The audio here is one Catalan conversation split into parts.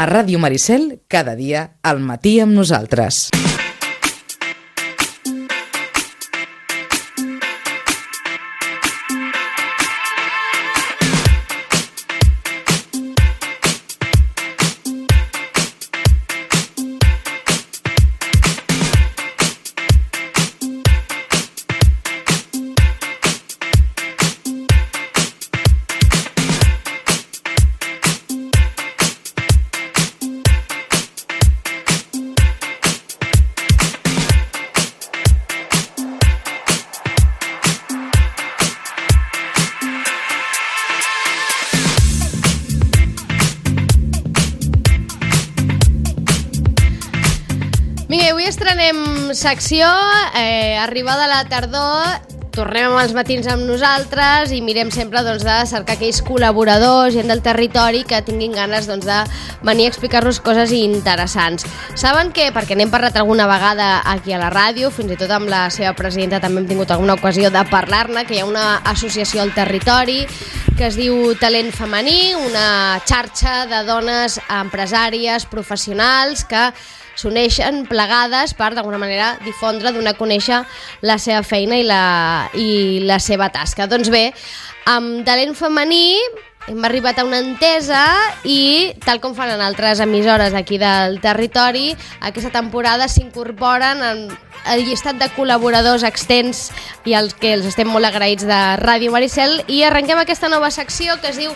A Ràdio Maricel, cada dia, al matí amb nosaltres. Estrenem secció, arribada la tardor, tornem amb els matins amb nosaltres i mirem sempre de cercar aquells col·laboradors, gent del territori que tinguin ganes de venir a explicar-nos coses interessants. Saben que, perquè n'hem parlat alguna vegada aquí a la ràdio, fins i tot amb la seva presidenta també hem tingut alguna ocasió de parlar-ne, que hi ha una associació al territori que es diu Talent Femení, una xarxa de dones empresàries, professionals, que s'uneixen plegades per, d'alguna manera, difondre, donar a conèixer la seva feina i la seva tasca. Doncs bé, amb Talent Femení hem arribat a una entesa i, tal com fan en altres emissores aquí del territori, aquesta temporada s'incorporen al llistat de col·laboradors extens i als que els estem molt agraïts de Ràdio Maricel, i arrenquem aquesta nova secció que es diu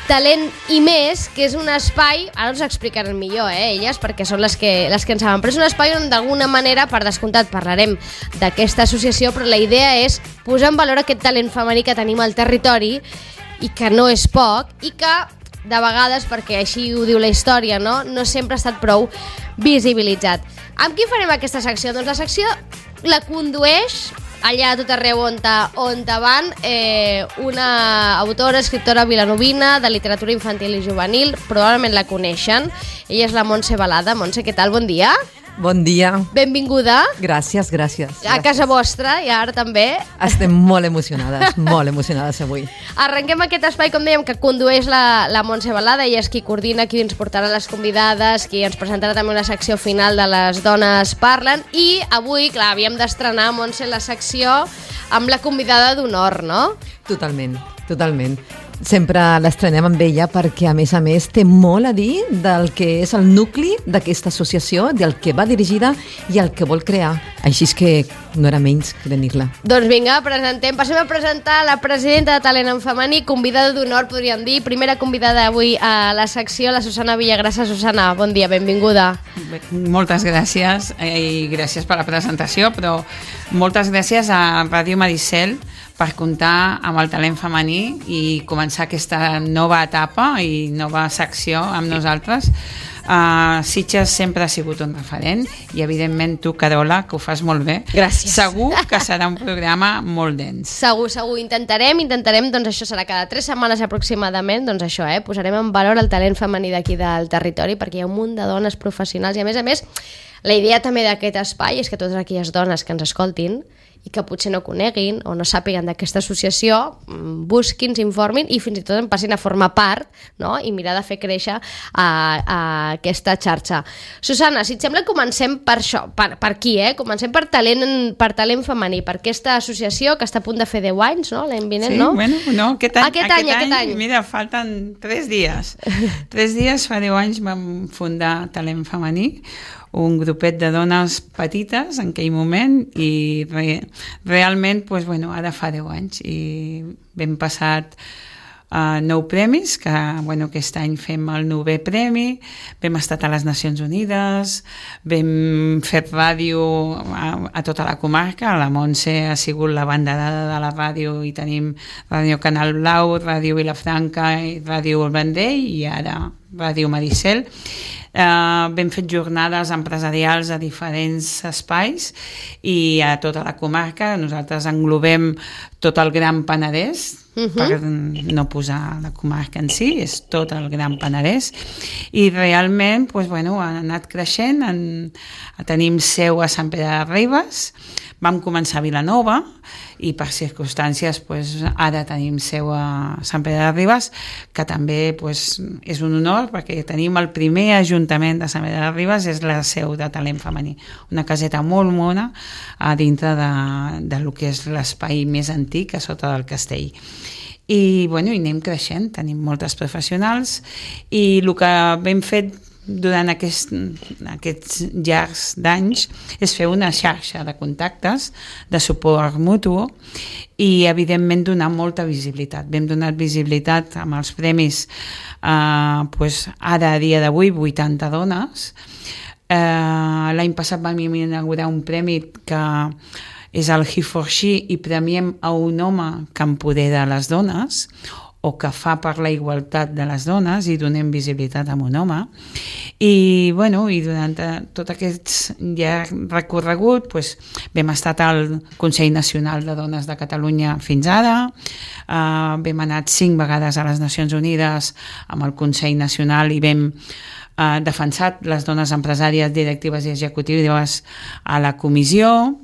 Talent i més, que és un espai, ara us explicaran millor, elles, perquè són les que en saben, però és un espai on d'alguna manera, per descomptat, parlarem d'aquesta associació, però la idea és posar en valor aquest talent femení que tenim al territori i que no és poc i que, de vegades, perquè així ho diu la història, no sempre ha estat prou visibilitzat. Amb qui farem aquesta secció? Doncs la secció la condueix allà a tot arreu on van una autora, escriptora vilanovina de literatura infantil i juvenil, probablement la coneixen. Ella és la Montse Balada. Montse, què tal? Bon dia. Bon dia. Benvinguda. Gràcies. A casa vostra, i ara també. Estem molt emocionades avui. Arrenquem aquest espai, com dèiem, que condueix la Montse Balada. Ella és qui coordina, qui ens portarà les convidades, qui ens presentarà també una secció final de Les dones parlen. I avui, clar, havíem d'estrenar, Montse, la secció amb la convidada d'honor, no? Totalment. Sempre l'estrenem amb ella perquè, a més, té molt a dir del que és el nucli d'aquesta associació, del que va dirigida i el que vol crear. Així és que no era menys que tenir-la. Doncs vinga, passem a presentar la presidenta de Talent en Femení, convidada d'honor, podríem dir, primera convidada avui a la secció, la Susana Villagrasa. Susana, bon dia, benvinguda. Moltes gràcies i gràcies per la presentació, però moltes gràcies a Ràdio Maricel per comptar amb el talent femení i començar aquesta nova etapa i nova secció amb nosaltres. Sitges sempre ha sigut un referent i, evidentment, tu, Carola, que ho fas molt bé. Gràcies. Segur que serà un programa molt dens. Segur. Intentarem, doncs això serà cada 3 setmanes aproximadament, doncs això, posarem en valor el talent femení d'aquí del territori, perquè hi ha un munt de dones professionals i, a més, la idea també d'aquest espai és que totes aquelles dones que ens escoltin i que potser no coneguin o no sàpiguen d'aquesta associació, busquin, s'informin i fins i tot en passin a formar part, no? I mirar de fer créixer aquesta xarxa. Susana, si et sembla, comencem per això, per aquí, comencem per talent femení, per aquesta associació que està a punt de fer 10 anys, no? L'any vinent, no? Sí, bueno, aquest any. Mira, falten 3 dies. 3 dies, fa 10 anys vam fundar Talent Femení, un grupet de dones petites en aquell moment, i realment, ara fa 10 anys i vam passat 9 premis, que aquest any fem el 9è premi, vam estar a les Nacions Unides, vam fer ràdio a tota la comarca, la Montse ha sigut la banderada de la ràdio i tenim Ràdio Canal Blau, Ràdio Vilafranca i Ràdio El Vendrell i ara Ràdio Maricel. Vam fer jornades empresarials a diferents espais i a tota la comarca. Nosaltres englobem tot el Gran Penedès, per no posar la comarca en si, és tot el Gran Penedès, i realment ha anat creixent. Tenim seu a Sant Pere de Ribes, vam començar a Vilanova i per circumstàncies ara tenim seu a Sant Pere de Ribes, que també és un honor perquè tenim el primer ajuntament de Sant Pere de Ribes, és la seu de talent femení, una caseta molt mona a dintre de lo que és l'espai més antic a sota del castell. I anem creixent, tenim moltes professionals i el que hem fet durant aquests llargs d'anys és fer una xarxa de contactes de suport mutu i evidentment donar molta visibilitat. Hem donat visibilitat amb els premis ara a dia d'avui 80 dones. L'any passat vam inaugurar un premi que és el He for She i premiem a un home que empodera les dones o que fa per la igualtat de les dones i donem visibilitat a un home. I durant tot aquest llarg recorregut vam estar al Consell Nacional de Dones de Catalunya fins ara, vam anat 5 vegades a les Nacions Unides amb el Consell Nacional i vam defensat les dones empresàries, directives i executives a la comissió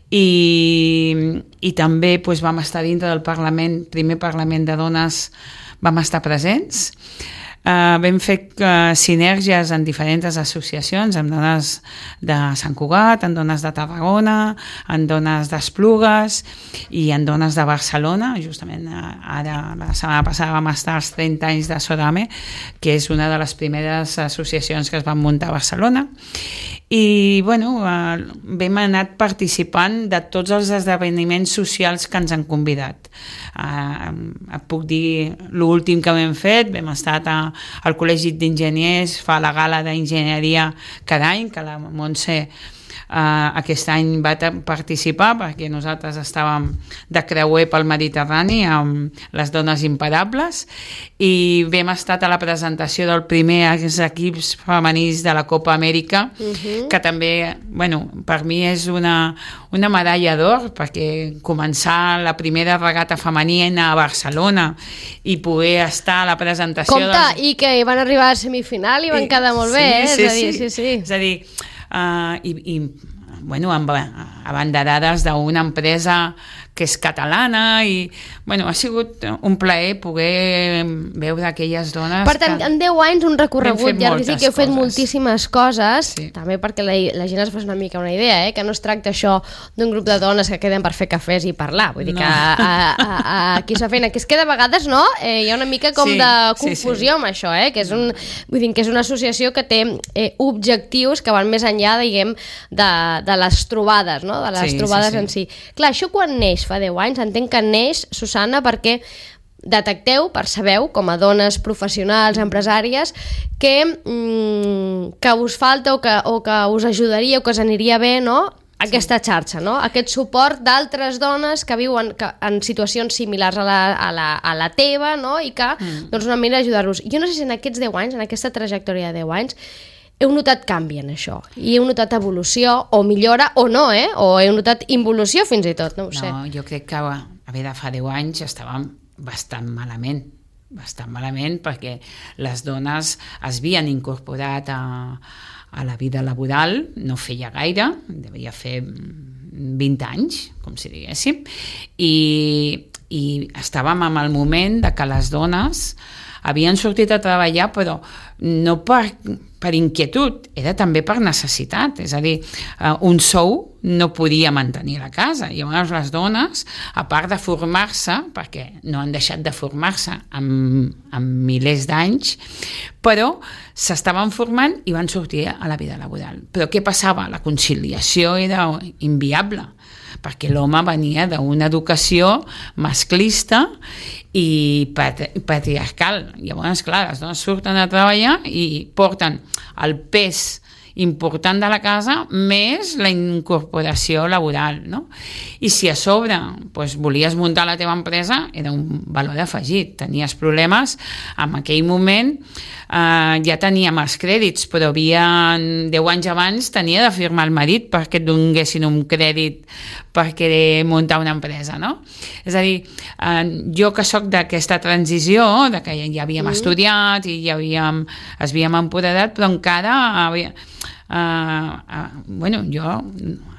i també vam estar dintre del Parlament, primer Parlament de Dones, vam estar presents. Vam fer sinergies en diferents associacions, amb dones de Sant Cugat, en dones de Tarragona, en dones d'Esplugues i en dones de Barcelona. Justament ara, la setmana passada, vam estar als 30 anys de Sodame, que és una de les primeres associacions que es van muntar a Barcelona. I vam anat participant de tots els esdeveniments socials que ens han convidat. Et puc dir l'últim que vam fet, vam estar al Col·legi d'Enginyers, fa la gala d'enginyeria cada any, que la Montse aquest any va participar perquè nosaltres estàvem de creuer pel Mediterrani amb les dones imparables i vam estar a la presentació del primer equips femenins de la Copa Amèrica, que també, per mi és una medalla d'or, perquè començar la primera regata femenina a Barcelona i poder estar a la presentació... Compte, i que van arribar a semifinal i van quedar molt bé, sí. És a dir, abanderades d'una empresa que és catalana i ha sigut un plaer poder veure aquelles dones. Per tant, en 10 anys un recorregut llarguíssim que heu fet moltíssimes coses, també perquè la gent es fa una mica una idea, que no es tracta això d'un grup de dones que queden per fer cafès i parlar, vull dir que aquí s'ha feina, que és que de vegades hi ha una mica com de confusió amb això, que és una associació que té objectius que van més enllà, diguem, de les trobades, de les trobades en si. Clar, això quan neix fa 10 anys, entenc que neix, Susana, perquè percebeu, com a dones professionals, empresàries, que us falta o que us ajudaria o que us aniria bé, aquesta xarxa, aquest suport d'altres dones que viuen en situacions similars a la teva, i que una manera d'ajudar-los. Jo no sé si en aquests 10 anys, en aquesta trajectòria de 10 anys, heu notat canvi en això, i heu notat evolució, o millora, o no, o heu notat involució fins i tot, no ho sé. No, jo crec que fa 10 anys estàvem bastant malament, perquè les dones es havien incorporat a la vida laboral, no feia gaire, devia fer 20 anys, com si diguéssim, i estàvem en el moment de que les dones havien sortit a treballar, però no per inquietud, era també per necessitat, és a dir, un sou no podia mantenir la casa. Llavors les dones, a part de formar-se, perquè no han deixat de formar-se en milers d'anys, però s'estaven formant i van sortir a la vida laboral. Però què passava? La conciliació era inviable, perquè l'home venia d'una educació masclista i patriarcal. Llavors, clar, les dones surten a treballar i porten el pes important de la casa més la incorporació laboral, no? I si a sobre volies muntar la teva empresa, era un valor afegit. Tenies problemes, en aquell moment ja teníem els crèdits, però 10 anys abans tenia de firmar el marit perquè et donguessin un crèdit per querer muntar una empresa, no? És a dir, jo que soc d'aquesta transició, de que ja havíem estudiat i es havíem empoderat, però encara bueno, jo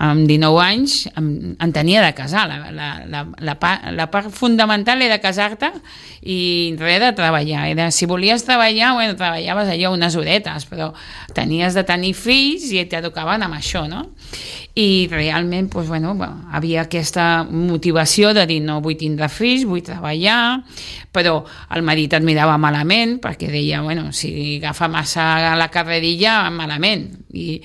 amb 19 anys em tenia de casar. La part fundamental era casar-te i res de treballar. Si volies treballar, bueno, treballaves allò unes horetes, però tenies de tenir fills i t'educaven amb això, no? I realment, doncs, bueno, havia aquesta motivació de dir no vull tindre fills, vull treballar, però el marit et mirava malament perquè deia, bueno, si agafa massa la carrerilla, malament. I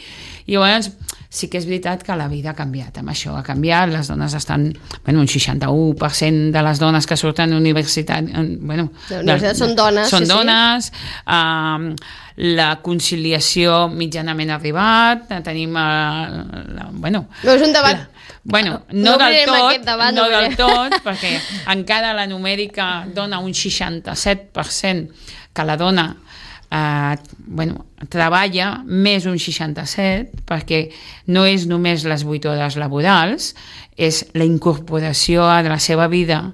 llavors sí que és veritat que la vida ha canviat, amb això ha canviat, les dones estan, bueno, un 61% de les dones que surten a universitat, bueno, són dones. Són dones, la conciliació mitjanament ha arribat, tenim, bueno... No és un debat... Bueno, no del tot, perquè encara la numèrica dona un 67% que la dona treballa més un 67%, perquè no és només les 8 hores laborals, és la incorporació a la seva vida,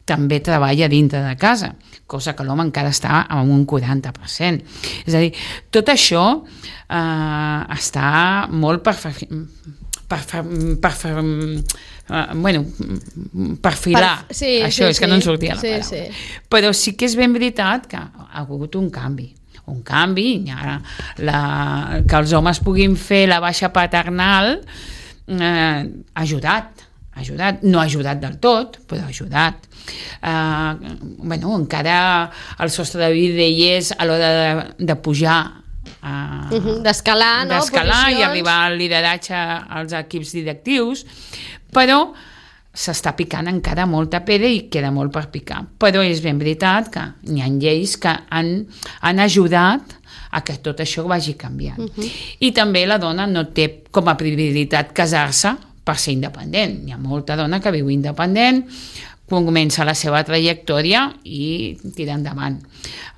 també treballa dintre de casa, cosa que l'home encara està amb un 40%. És a dir, tot això està molt perfilar. Això és que no en sortia la paraula. Però sí que és ben veritat que ha hagut un canvi, que els homes puguin fer la baixa paternal ha ajudat, no ha ajudat del tot, però ha ajudat. Encara el sostre de vida hi és a l'hora de pujar, d'escalar, no? I arribar al lideratge als equips directius, però s'està picant encara molta pedra i queda molt per picar. Però és ben veritat que hi ha lleis que han ajudat a que tot això vagi canviant. I també la dona no té com a prioritat casar-se per ser independent. Hi ha molta dona que viu independent, comença la seva trajectòria i tira endavant.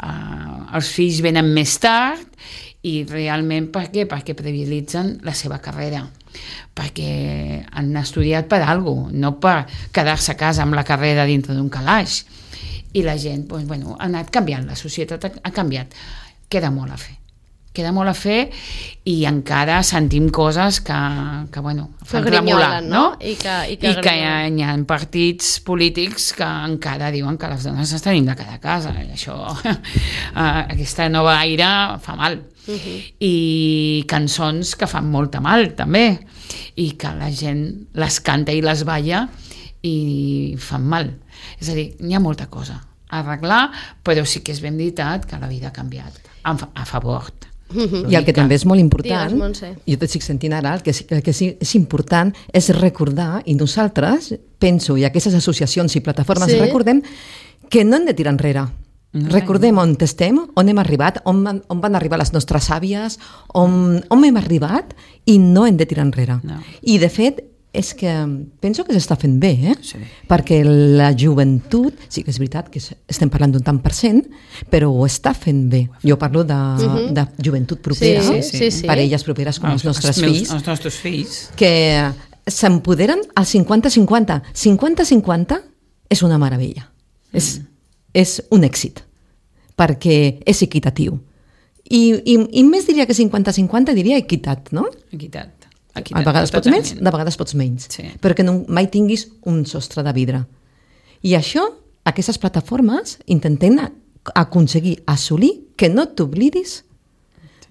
Els fills venen més tard i realment per què? Perquè prioritzen la seva carrera, perquè han estudiat per alguna cosa, no per quedar-se a casa amb la carrera dintre d'un calaix. I la gent, ha anat canviant, la societat ha canviat. Queda molt a fer i encara sentim coses que fan tremolar, no? I que hi ha partits polítics que encara diuen que les dones ens tenim de quedar a casa. Això, aquesta nova aire fa mal. I cançons que fan molta mal, també, i que la gent les canta i les balla i fan mal. És a dir, hi ha molta cosa a arreglar, però sí que és ben veritat que la vida ha canviat a favor. I el que també és molt important, jo t'estic sentint ara, el que és important és recordar, i nosaltres, penso, i aquestes associacions i plataformes recordem, que no hem de tirar enrere. Recordem on estem, on hem arribat, on van arribar les nostres àvies, on hem arribat, i no hem de tirar enrere. I de fet, és que penso que s'està fent bé, perquè la joventut, sí que és veritat que estem parlant d'un tant per cent, però ho està fent bé. Jo parlo de joventut propera, parelles properes com els nostres fills. Els nostres fills. Que s'empoderen al 50-50. 50-50 és una meravella. És un èxit, perquè és equitatiu. I més diria que 50-50, diria equitat, no? Equitat. A vegades pots més, de vegades pots menys, però que mai tinguis un sostre de vidre. I això, aquestes plataformes intenten aconseguir, assolir, que no t'oblidis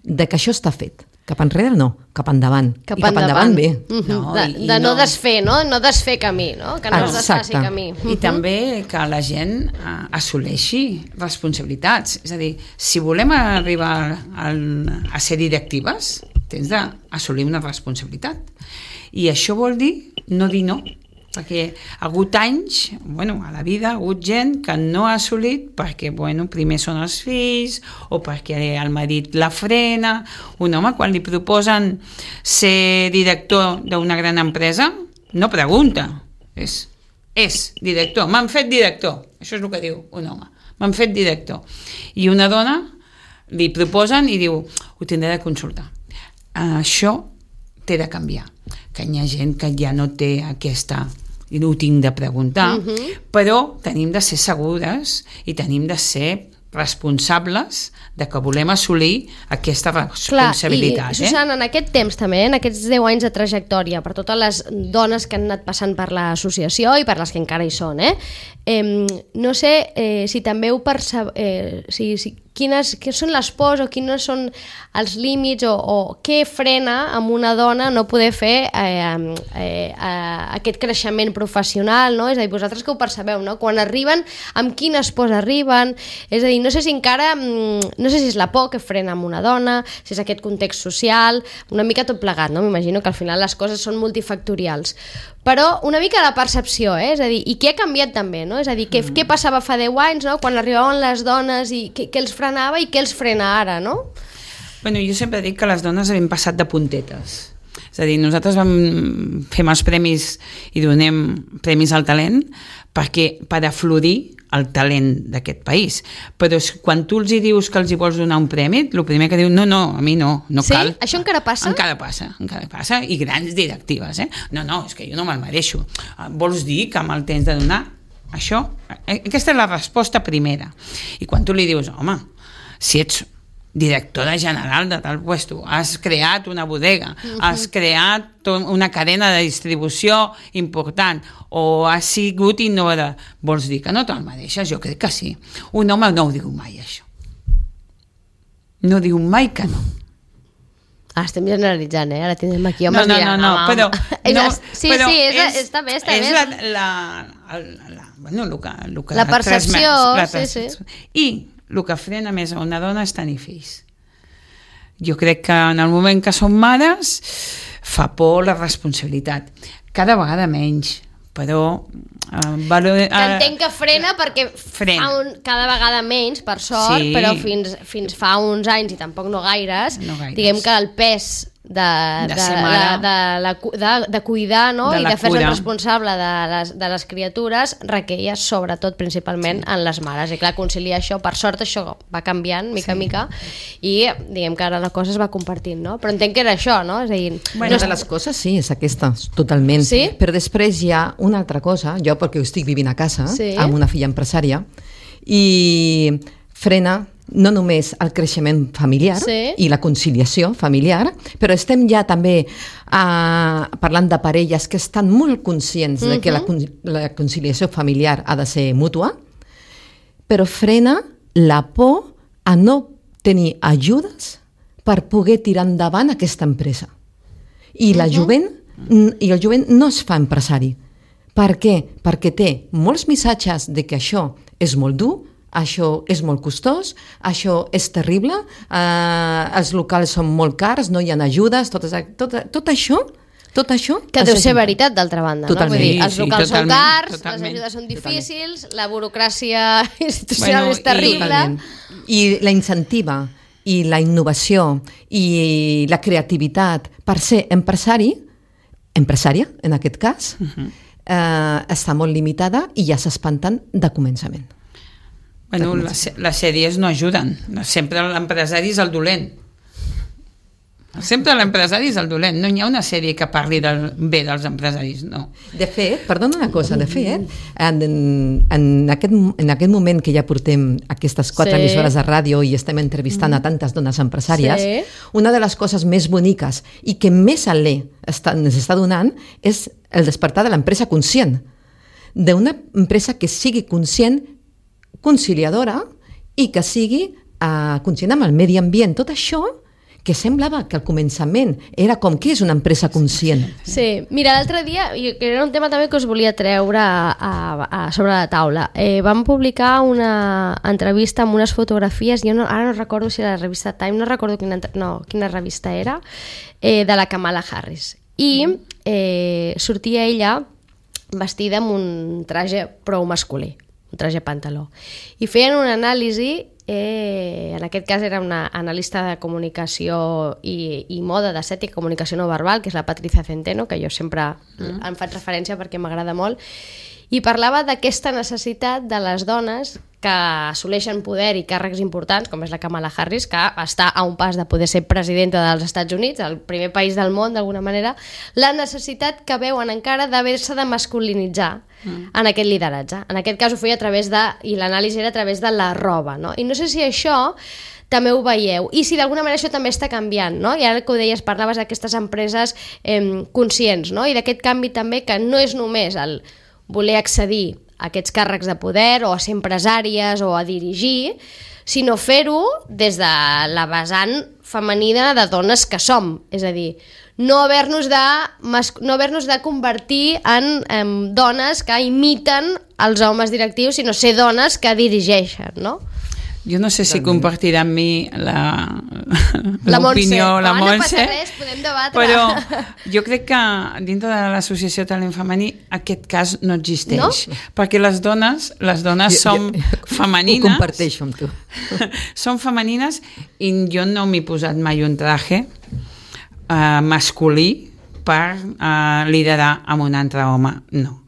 de que això està fet. Cap enrere no, cap endavant. I cap endavant bé. De no desfer, no? No desfer camí, no? Que no es desfaci camí. I també que la gent assoleixi responsabilitats. És a dir, si volem arribar a ser directives, tens d'assolir una responsabilitat. I això vol dir no dir no, perquè ha hagut anys, a la vida ha hagut gent que no ha assolit perquè, primer són els fills o perquè el marit la frena. Un home, quan li proposen ser director d'una gran empresa, no pregunta, és director, m'han fet director, això és el que diu un home, m'han fet director. I una dona li proposen i diu, ho tindré de consultar. Això té de canviar, que hi ha gent que ja no té aquesta, i no ho tinc de preguntar, però tenim de ser segures i tenim de ser responsables de que volem assolir aquesta responsabilitat. Clar, i Susana, en aquest temps també, en aquests 10 anys de trajectòria, per totes les dones que han anat passant per l'associació i per les que encara hi són, no sé si també ho quines són les pors o quines són els límits o què frena amb una dona no poder fer aquest creixement professional, no? És a dir, vosaltres que ho percebeu, no? Quan arriben, amb quines pors arriben, és a dir, no sé si encara, no sé si és la por que frena amb una dona, si és aquest context social, una mica tot plegat, no? M'imagino que al final les coses són multifactorials, però una mica la percepció, és a dir, i què ha canviat també, no? És a dir, què passava fa 10 anys, no? Quan arribaven les dones i què els frenava i què els frena ara, no? Bueno, jo sempre dic que les dones hem passat de puntetes. És a dir, nosaltres fem els premis i donem premis al talent per aflorir el talent d'aquest país. Però quan tu els dius que els hi vols donar un premi, el primer que diu, no, a mi no cal. Sí? Això encara passa? Encara passa, i grans directives, No, és que jo no me'l mereixo. Vols dir que me'l tens de donar? Això, aquesta és la resposta primera. I quan tu li dius, home, si ets directora general de tal puesto, has creat una bodega, has creat una cadena de distribució important o has sigut innovadora, vols dir que no te'l mereixes? Jo crec que sí. Un home no ho diu mai, això. No diu mai que no. Estem generalitzant, ara tindrem aquí homes dirant... No, però... Sí, està bé. És la percepció, sí. I el que frena més a una dona és tenir fills. Jo crec que en el moment que som mares fa por la responsabilitat. Cada vegada menys, però... entenc que frena perquè cada vegada menys, per sort, sí. Però fins fa uns anys, i tampoc no gaires, diguem que el pes de cuidar, no? I de fer-se responsable de les criatures requeia sobretot principalment en les mares, i clar, conciliar això, per sort això va canviant mica en mica i diguem que ara la cosa es va compartint, no? Però entenc que era això, no? És a dir, una de les coses sí, és aquesta, totalment, sí? Però després hi ha una altra cosa, jo perquè estic vivint a casa amb una filla empresària i frena no només el creixement familiar i la conciliació familiar, però estem ja també parlant de parelles que estan molt conscients de que la conciliació familiar ha de ser mútua, però frena la por a no tenir ajudes per poder tirar endavant aquesta empresa. I el jovent no es fa empresari. Per què? Perquè té molts missatges de que això és molt dur, això és molt costós, això és terrible, els locals són molt cars, no hi ha ajudes, tot això... Que deu ser veritat, d'altra banda, totalment. No? Vull dir, els locals són cars, les ajudes són difícils, la burocràcia institucional és terrible... I la incentiva, i la innovació, i la creativitat per ser empresària, en aquest cas, està molt limitada i ja s'espanten de començament. Bueno, les sèries no ajuden. Sempre l'empresari és el dolent. Sempre l'empresari és el dolent. No hi ha una sèrie que parli bé dels empresaris, no. De fet, perdona una cosa, en aquest moment que ja portem aquestes 4 emissores de ràdio i estem entrevistant a tantes dones empresàries, una de les coses més boniques i que més alè ens està donant és el despertar de l'empresa conscient. D'una empresa que sigui conscient, conciliadora i que sigui conscient amb el medi ambient. Tot això que semblava que al començament era com que és una empresa conscient. Sí, mira, l'altre dia, era un tema també que us volia treure sobre la taula. Vam publicar una entrevista amb unes fotografies, ara no recordo si era la revista Time, no recordo quina revista era, de la Kamala Harris. I sortia ella vestida amb un traje prou masculí, un traje pantaló. I feien una anàlisi, en aquest cas era una analista de comunicació i moda d'estètica, comunicació no verbal, que és la Patricia Centeno, que jo sempre em faig referència perquè m'agrada molt, i parlava d'aquesta necessitat de les dones que assoleixen poder i càrrecs importants, com és la Kamala Harris, que està a un pas de poder ser presidenta dels Estats Units, el primer país del món d'alguna manera, la necessitat que veuen encara d'haver-se de masculinitzar en aquest lideratge. En aquest cas ho feia a través i l'anàlisi era a través de la roba, no? I no sé si això també ho veieu, i si d'alguna manera això també està canviant, no? I ara que ho deies, parlaves d'aquestes empreses conscients, no? I d'aquest canvi també, que no és només el voler accedir a aquests càrrecs de poder o a ser empresàries o a dirigir, sinó fer-ho des de la vessant femenina de dones que som, és a dir, no haver-nos de convertir en dones que imiten els homes directius, sinó ser dones que dirigeixen, no? Jo no sé si compartirà amb mi l'opinió, la Montse. No passa res, podem debatre. Però jo crec que dintre de l'associació Talent Femení aquest cas no existeix. No? Perquè les dones som femenines. Ho comparteixo amb tu. Són femenines i jo no m'he posat mai un traje masculí per liderar amb un altre home. No.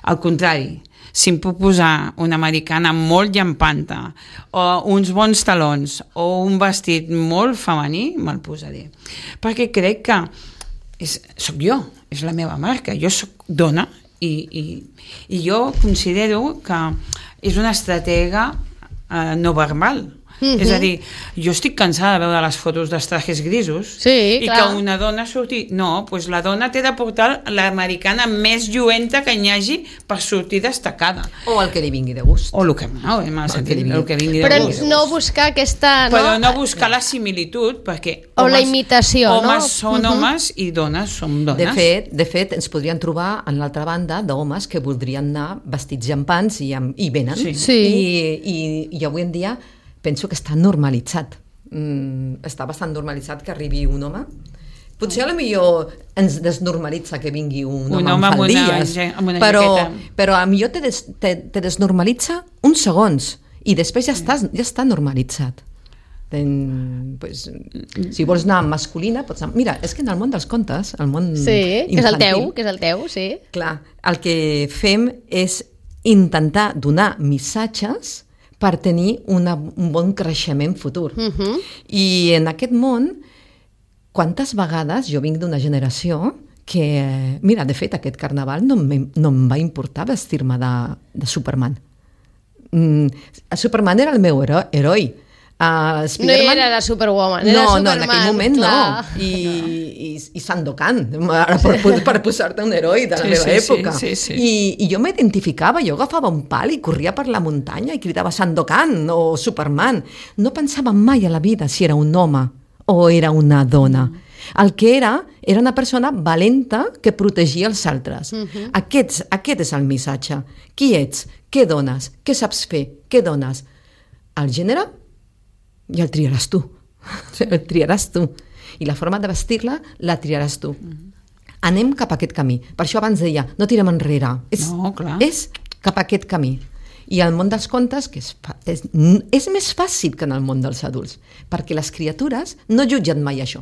Al contrari, si em puc posar una americana molt llampanta o uns bons talons o un vestit molt femení, me'l posaré. Perquè crec que soc jo, és la meva marca. Jo soc dona i jo considero que és una estratega no verbal. És a dir, jo estic cansada de veure les fotos dels trajes grisos i que una dona surti... No, doncs la dona té de portar l'americana més lluenta que hi hagi per sortir destacada. O el que li vingui de gust. O el que vingui de gust. Però no buscar aquesta... Però no buscar la similitud, perquè o la imitació, no? Homes són homes i dones són dones. De fet, ens podrien trobar en l'altra banda d'homes que voldrien anar vestits llampants i venen. I avui en dia penso que està normalitzat. Està bastant normalitzat que arribi un home. Potser potser ens desnormalitza que vingui un home amb faldilles, però a millor te desnormalitza uns segons i després ja està normalitzat. Si vols anar masculina, pots anar... Mira, és que en el món dels contes, el món infantil... que és el teu, sí. Clar, el que fem és intentar donar missatges per tenir un bon creixement futur. I en aquest món, quantes vegades jo vinc d'una generació que, mira, de fet, aquest carnaval no em va importar vestir-me de Superman. Superman era el meu heroi. No era la Superwoman, era Superman. No, en aquell moment no. I Sandokan, per posar-te un heroi de la meva època. I jo m'identificava, jo agafava un pal i corria per la muntanya i cridava Sandokan o Superman. No pensava mai a la vida si era un home o era una dona. El que era una persona valenta que protegia els altres. Aquest és el missatge. Qui ets? Què dones? Què saps fer? Què dones? El gènere? Ja el triaràs tu. El triaràs tu. I la forma de vestir-la la triaràs tu. Anem cap a aquest camí. Per això abans deia, no tirem enrere. És cap a aquest camí. I el món dels contes, que és més fàcil que en el món dels adults, perquè les criatures no jutgen mai això.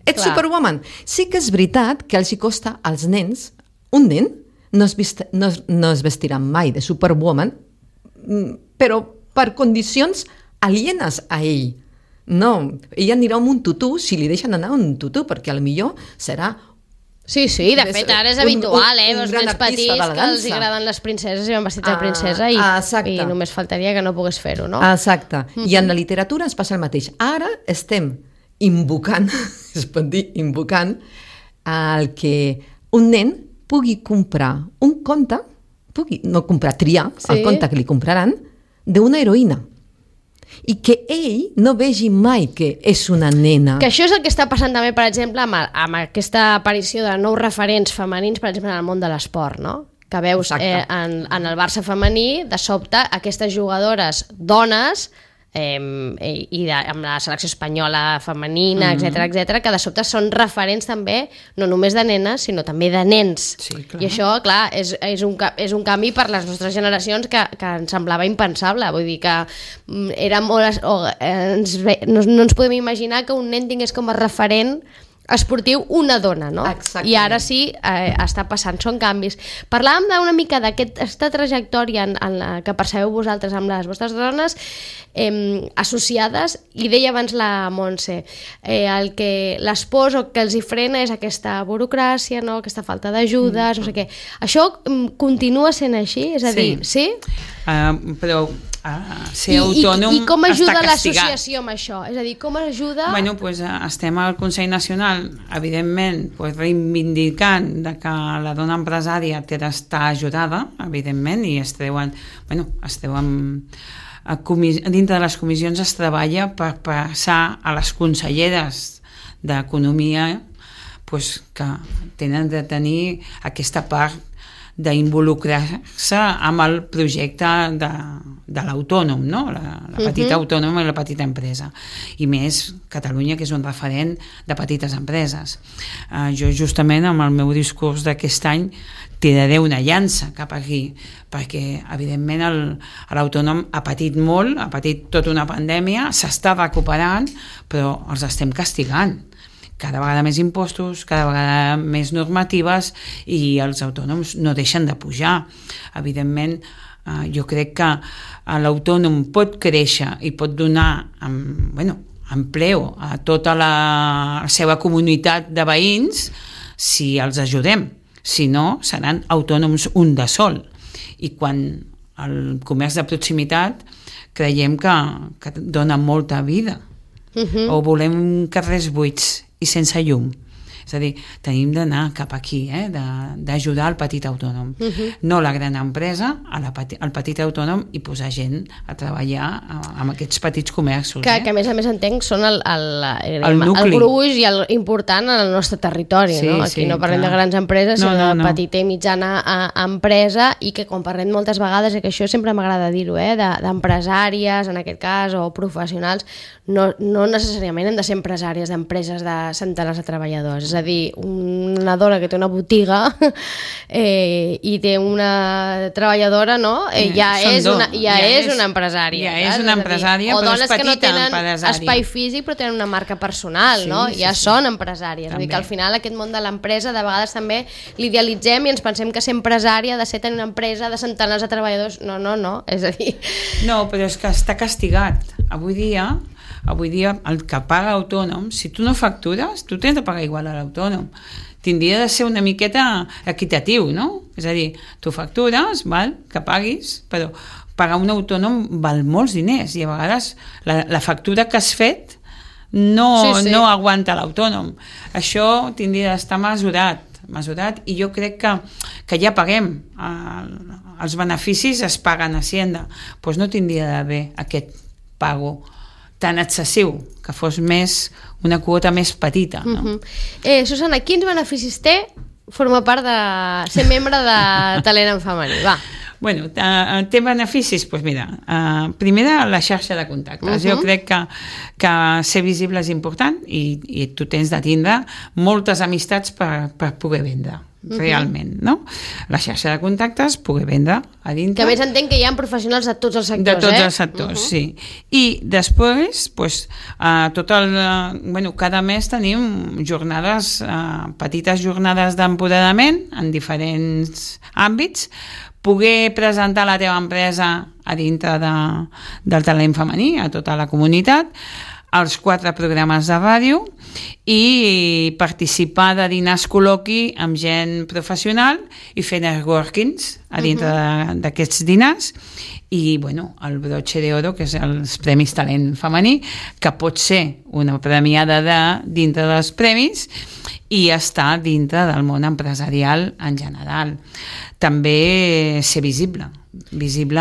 Ets Superwoman. Sí que és veritat que els hi costa als nens, un nen no es vestirà mai de Superwoman, però per condicions alienes a ell. No, ella anirà amb un tutú si li deixen anar un tutú, perquè potser serà... Sí, de fet, ara és habitual, els nens petits que els agraden les princeses i van vestits de princesa i només faltaria que no pogués fer-ho, no? Exacte. I en la literatura ens passa el mateix. Ara estem invocant, es pot dir invocant, el que un nen pugui comprar un conte, triar el conte que li compraran, d'una heroïna. I que ell no vegi mai que és una nena. Que això és el que està passant també, per exemple, amb aquesta aparició de nous referents femenins, per exemple, en el món de l'esport, no? Que veus en el Barça femení, de sobte, aquestes jugadores dones i amb la selecció espanyola femenina, etc, que de sobte són referents també, no només de nenes, sinó també de nens. I això, clar, és un canvi per les nostres generacions que ens semblava impensable. Vull dir que era molt... no ens podem imaginar que un nen tingués com a referent esportiu una dona, no? Exactament. I ara sí, està passant, són canvis. Parlàvem d'una mica d'aquesta trajectòria en la que percebeu vosaltres amb les vostres dones associades, i deia abans la Montse, el que les pors o que els hi frena és aquesta burocràcia, no? Aquesta falta d'ajudes, no sé què. Això continua sent així? És a dir, sí? Però ser autònom I com ajuda està castigat. l'associació amb això? És a dir, com ajuda... Bueno, pues, estem al Consell Nacional, evidentment, pues, reivindicant de que la dona empresària té d'estar ajudada, evidentment, i dintre de les comissions es treballa per passar a les conselleres d'Economia, pues, que tenen de tenir aquesta part d'involucrar-se amb el projecte de l'autònom, no? La petita autònoma i la petita empresa. I més Catalunya, que és un referent de petites empreses. Jo justament amb el meu discurs d'aquest any tiraré una llança cap aquí, perquè evidentment l'autònom ha patit molt, ha patit tota una pandèmia, s'està recuperant, però els estem castigant. Cada vegada més impostos, cada vegada més normatives, i els autònoms no deixen de pujar. Evidentment, jo crec que l'autònom pot créixer i pot donar empleo a tota la seva comunitat de veïns si els ajudem. Si no, seran autònoms un de sol. I quan el comerç de proximitat creiem que dona molta vida. O volem carrers buits i sense llum. És a dir, tenim d'anar cap aquí, d'ajudar el petit autònom. No la gran empresa, el petit autònom, i posar gent a treballar amb aquests petits comerços. Que a més entenc són el gruix i el important en el nostre territori. No? Aquí no parlem de grans empreses, sinó de petita i mitjana empresa, i que quan parlem moltes vegades, i que això sempre m'agrada dir-ho, d'empresàries, en aquest cas, o professionals, no necessàriament hem de ser empresàries d'empreses de centenars de treballadors. És a dir, una dona que té una botiga i té una treballadora, no? Ja és una empresària. Ja és una empresària, però és petita empresària. O dones que no tenen espai físic però tenen una marca personal, no? Ja són empresàries. És a dir, que al final aquest món de l'empresa de vegades també l'idealitzem i ens pensem que ser empresària ha de ser tenir una empresa de centenars de treballadors. No. És a dir... No, però és que està castigat. Avui dia el que paga autònom, si tu no factures, tu tens de pagar igual a l'autònom. Tindria de ser una miqueta equitatiu, no? És a dir, tu factures, que paguis, però pagar un autònom val molts diners, i a vegades la factura que has fet no aguanta l'autònom. Això tindria d'estar mesurat, i jo crec que ja paguem. Els beneficis es paguen a Hacienda. Doncs no tindria d'haver aquest pago tan excessiu, que fos una quota més petita. No? Susana, quins beneficis té formar part de ser membre de Talent en Femení? Va. Bueno, té beneficis? Doncs mira, primer la xarxa de contactes. Jo crec que ser visible és important, i tu tens de tindre moltes amistats per poder vendre. Realment, no? La xarxa de contactes, poder vendre a dintre. Que a més entenc que hi ha professionals de tots els sectors, De tots els sectors, sí. I després, cada mes tenim jornades, petites jornades d'empoderament en diferents àmbits, poder presentar la teva empresa a dintre del talent femení, a tota la comunitat, els 4 programes de ràdio, i participar de dinars col·loqui amb gent professional i fer networkings a dintre d'aquests dinars, i el broche d'oro, que és els Premis Talent Femení, que pot ser una premiada dintre dels premis i estar dintre del món empresarial en general. També ser visible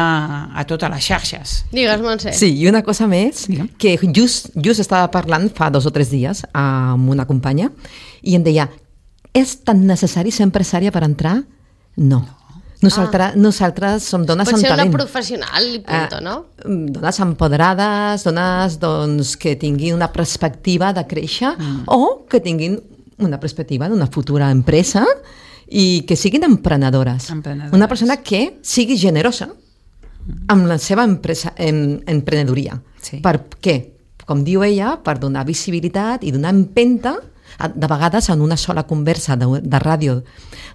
a totes les xarxes. Digues, Montse. Sí, i una cosa més, que just estava parlant fa 2 o 3 dies amb una companya, i em deia, és tan necessari ser empresària per entrar? No. Nosaltres som dones amb talent. Pot ser una professional i punto, no? Dones empoderades, dones que tinguin una perspectiva de créixer, o que tinguin una perspectiva d'una futura empresa, i que siguin emprenedores. Una persona que sigui generosa amb la seva emprenedoria. Sí. Per què? Com diu ella, per donar visibilitat i donar empenta De vegades, en una sola conversa de ràdio,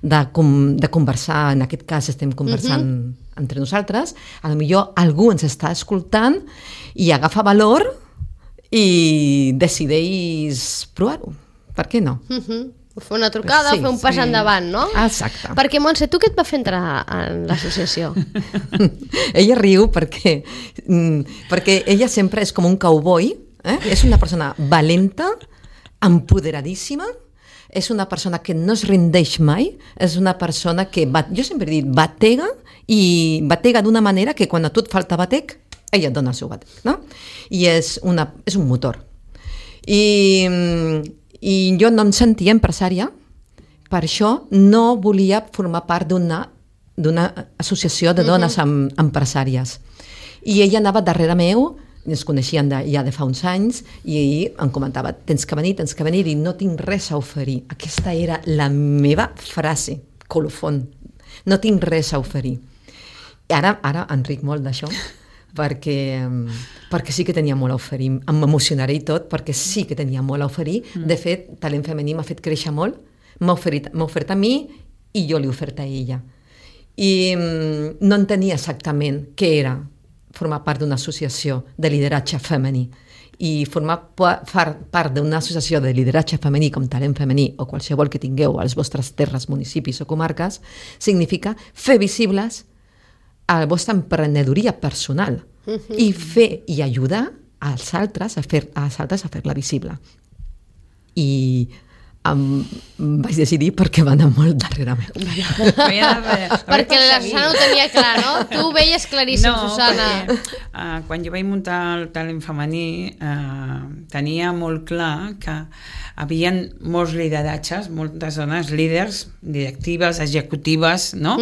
de conversar, en aquest cas estem conversant entre nosaltres, potser algú ens està escoltant i agafa valor i decideix provar-ho. Per què no? Fer una trucada, fer un pas endavant, no? Exacte. Perquè, Montse, tu què et va fer entrar en l'associació? Ella riu perquè ella sempre és com un cowboy, és una persona valenta, empoderadíssima, és una persona que no es rendeix mai, és una persona que, jo sempre he dit, batega, i batega d'una manera que quan a tu et falta batec, ella et dona el seu batec, no? I és un motor. I jo no em sentia empresària, per això no volia formar part d'una associació de dones empresàries. I ella anava darrere meu, ens coneixien ja de fa uns anys, i em comentava, tens que venir, i no tinc res a oferir. Aquesta era la meva frase, colofon. No tinc res a oferir. Ara em ric molt d'això, perquè sí que tenia molt a oferir. M'emocionaré i tot, perquè sí que tenia molt a oferir. De fet, Talent Femení m'ha fet créixer molt, m'ha ofert a mi i jo li he ofert a ella. I no entenia exactament què era formar part d'una associació de lideratge femení. I formar part d'una associació de lideratge femení com Talent Femení o qualsevol que tingueu a les vostres terres, municipis o comarques significa fer visibles a la vostra emprenedoria personal i fer i ajudar als altres a fer-la visible. I vaig decidir perquè va anar molt darrere meu. Perquè la Susana ho tenia clar, no? Tu ho veies claríssim, Susana. Perquè, quan jo vaig muntar el Talent Femení tenia molt clar que havia molts lideratges, moltes dones líders, directives, executives, no?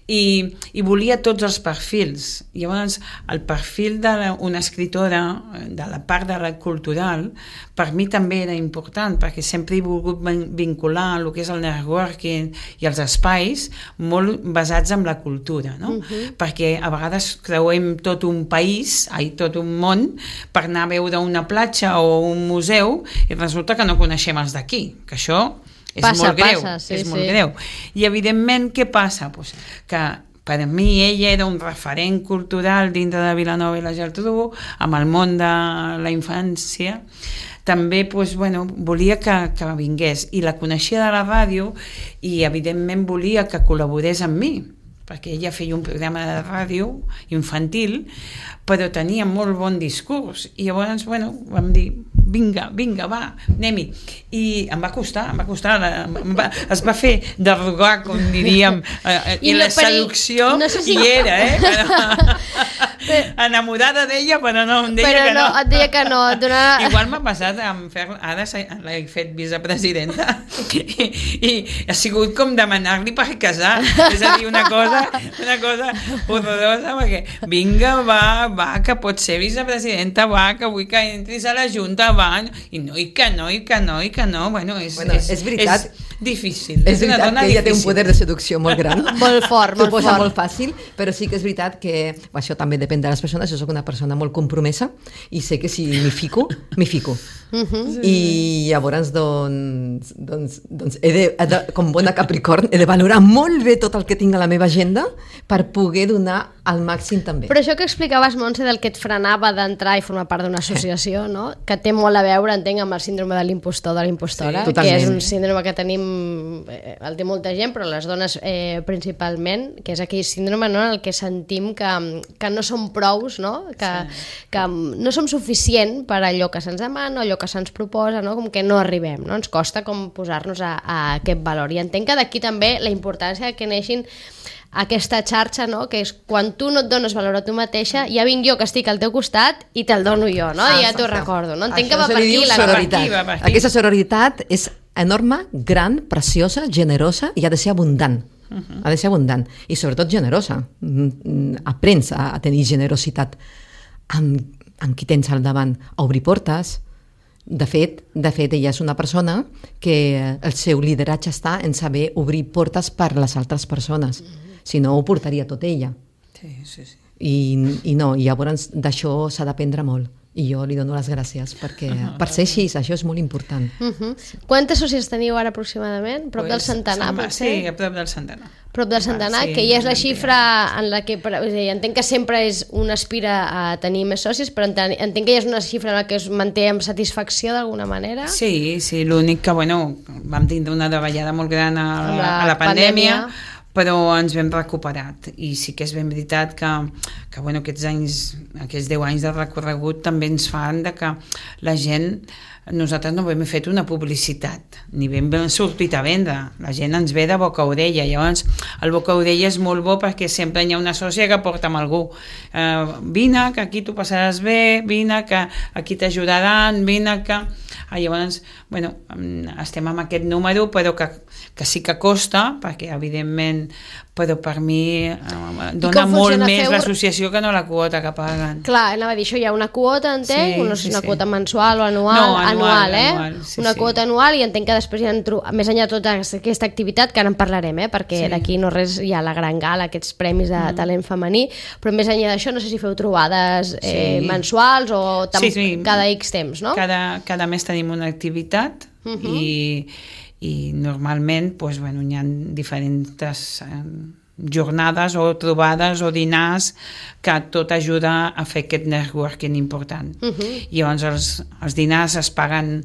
I volia tots els perfils. Llavors, el perfil d'una escriptora, de la part de la cultural, per mi també era important, perquè sempre he volgut vincular el que és el networking i els espais molt basats en la cultura, no? Perquè a vegades creuem tot un país, tot un món, per anar a veure una platja o un museu i resulta que no coneixem els d'aquí, que això és molt greu. I evidentment, què passa? Pues que per mi ella era un referent cultural dintre de Vilanova i la Geltrú, amb el món de la infància. També volia que vingués, i la coneixia de la ràdio i evidentment volia que col·laborés amb mi, perquè ella feia un programa de ràdio infantil, però tenia molt bon discurs, i llavors vam dir, vinga, va, anem-hi. I em va costar, es va fer de rogar, com diríem, i la seducció hi era, enamorada d'ella, però no, em deia que no. Però et deia que no. Igual m'ha passat ara l'he fet vicepresidenta i ha sigut com demanar-li per casar, és a dir, una cosa horrorosa, perquè vinga, va, que pots ser vicepresidenta, va, que vull que entris a la Junta, va, i que no, és veritat, és difícil. És veritat que ella té un poder de seducció molt gran, molt fort, molt fort, molt fàcil, però sí que és veritat que això també depèn de les persones. Jo soc una persona molt compromesa i sé que si m'hi fico. I llavors, com bona Capricorn, he de valorar molt bé tot el que tinc a la meva agenda per poder donar al màxim també. Però això que explicaves, Montse, del que et frenava d'entrar i formar part d'una associació, no? Que té molt a veure, entenc, amb el síndrome de l'impostor, de la impostora, que és un síndrome que tenim, el té molta gent, però les dones principalment, que és aquell síndrome, no?, en el que sentim que no som prous, no? Que no som suficient per allò que se'ns demana, allò que se'ns proposa, no? Com que no arribem, no? Ens costa com posar-nos a aquest valor. I entenc que d'aquí també la importància que neixin aquesta xarxa, no? Que és quan tu no et dones valor a tu mateixa, ja vinc jo que estic al teu costat i te'l dono jo, no? I ja t'ho recordo, no? Entenc que va per aquí la sororitat. Aquesta sororitat és enorme, gran, preciosa, generosa i ha de ser abundant. Ha de ser abundant i sobretot generosa. Aprens a tenir generositat amb qui tens al davant, a obrir portes. De fet, ella és una persona que el seu lideratge està en saber obrir portes per les altres persones. Si no, ho portaria tot ella. Sí. I no, i llavors d'això s'ha d'aprendre molt. I jo li dono les gràcies perquè per ser així, això és molt important. Quantes socis teniu ara aproximadament? Prop del centenar, potser? Sí, a prop del centenar. Prop del centenar, que ja és la xifra en la que... Entenc que sempre un aspira a tenir més socis, però entenc que ja és una xifra en la que es manté amb satisfacció d'alguna manera. Sí, l'únic que, vam tindre una davallada molt gran a la pandèmia, però ens vam recuperat, i sí que és ben veritat que aquests 10 anys de recorregut també ens fan que la gent, nosaltres no hem fet una publicitat, ni ben sortit a vendre, la gent ens ve de boca a orella, llavors el boca a orella és molt bo perquè sempre hi ha una sòcia que porta amb algú, vine que aquí t'ho passaràs bé, vine que aquí t'ajudaran, vine que... Llavors, estem amb aquest número, però que sí que costa, perquè evidentment, però per mi dona molt més l'associació que no la quota que paguen. Clar, anava a dir, això hi ha una quota, entenc, no sé si una quota mensual o anual. No, anual, una quota anual, i entenc que després hi ha, més enllà de tota aquesta activitat, que ara en parlarem, perquè d'aquí no res hi ha la gran gala, aquests premis de talent femení, però més enllà d'això, no sé si feu trobades mensuals o cada X temps, no? Cada mes tenim una activitat i normalment hi ha diferents jornades o trobades o dinars que tot ajuda a fer aquest networking important. Llavors els dinars es paguen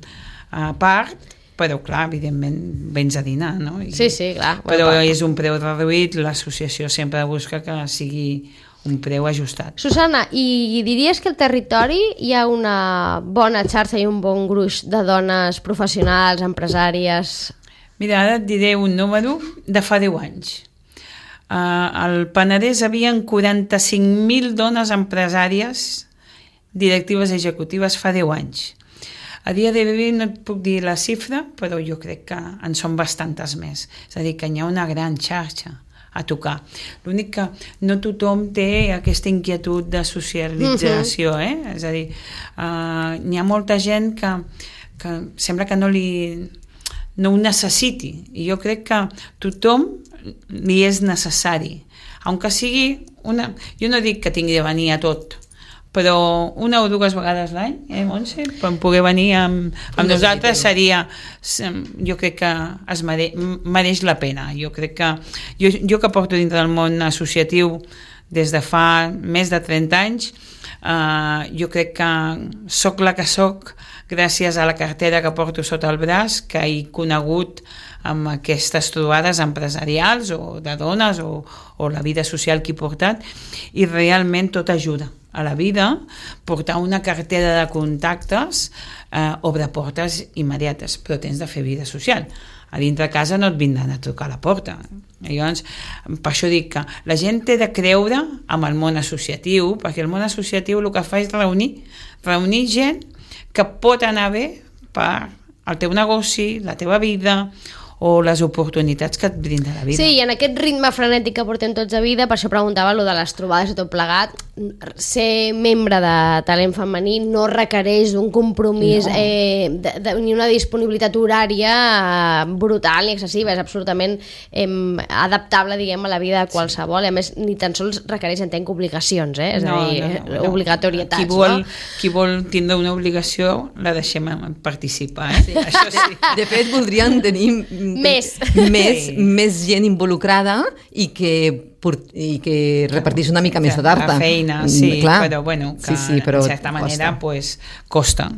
a part, però clar, evidentment vens a dinar, no? Sí, clar. Però és un preu reduït, l'associació sempre busca que sigui un preu ajustat. Susana, i diries que al territori hi ha una bona xarxa i un bon gruix de dones professionals, empresàries? Mira, ara et diré un número de fa 10 anys. Al Penedès hi havia 45.000 dones empresàries, directives executives fa 10 anys. A dia d'avui no et puc dir la xifra, però jo crec que en són bastantes més. És a dir, que hi ha una gran xarxa a tocar. L'únic que no tothom té aquesta inquietud de socialització, És a dir, hi ha molta gent que sembla que no ho necessiti, i jo crec que tothom li és necessari, aunque sigui jo no dic que tingui de venir a tot, però una o dues vegades l'any, Montse, per poder venir amb nosaltres seria, jo crec que es mereix la pena. Jo crec que jo que porto dintre del món associatiu des de fa més de 30 anys, jo crec que soc la que soc gràcies a la cartera que porto sota el braç, que he conegut amb aquestes trobades empresarials o de dones o la vida social que he portat, i realment tot ajuda a la vida. Portar una cartera de contactes obre portes immediates, però tens de fer vida social. A dintre de casa no et vindran a trucar a la porta. Llavors, per això dic que la gent té de creure amb el món associatiu, perquè el món associatiu el que fa és reunir gent que pot anar bé per al teu negoci, la teva vida, o les oportunitats que et brinda la vida. Sí, i en aquest ritme frenètic que portem tots a vida, per això preguntava allò de les trobades i tot plegat, ser membre de talent femení no requereix un compromís ni una disponibilitat horària brutal ni excessiva, és absolutament adaptable, diguem, a la vida de qualsevol, i a més ni tan sols requereix, entenc, obligacions, és a dir, obligatorietats. Qui vol tindre una obligació la deixem participar, Això sí. De fet, voldrien tenir més gent involucrada i que repartís una mica més de tarda. La feina, sí, però bueno, que en certa manera costa,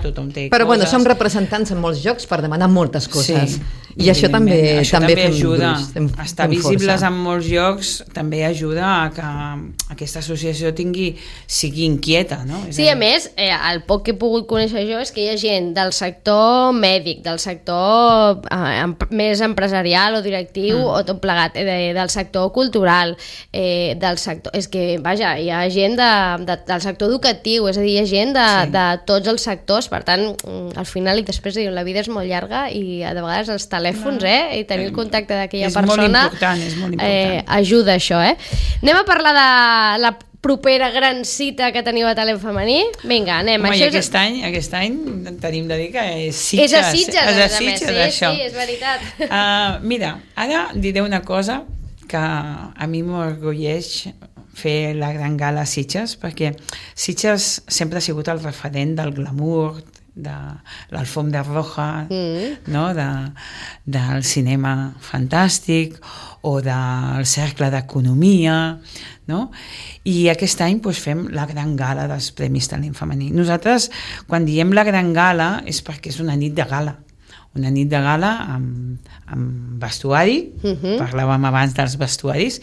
tothom té coses. Però som representants en molts jocs per demanar moltes coses. I això també ajuda. Estar visibles en molts jocs també ajuda a que aquesta associació sigui inquieta, no? Sí, a més, el poc que he pogut conèixer jo és que hi ha gent del sector mèdic, del sector més empresarial o directiu o tot plegat, del sector cultural, del sector... És que, vaja, hi ha gent del sector educatiu, és a dir, hi ha gent de tots els sectors, per tant, al final, i després diuen, la vida és molt llarga i de vegades els telèfons, i tenir el contacte d'aquella persona és molt important. Ajuda això, Anem a parlar de la propera gran cita que teniu a talent femení. Vinga, anem. Home, aquest any tenim de dir que és Sitges. És a Sitges, això. Sí, és veritat. Mira, ara diré una cosa que a mi m'orgulleix fer la gran gala a Sitges, perquè Sitges sempre ha sigut el referent del glamour, de l'alfombra roja, no? Del cinema fantàstic o del cercle d'economia, no? I aquest any fem la gran gala dels Premis Talent Femení. Nosaltres, quan diem la gran gala, és perquè és una nit de gala. Una nit de gala amb vestuari, parlàvem abans dels vestuaris,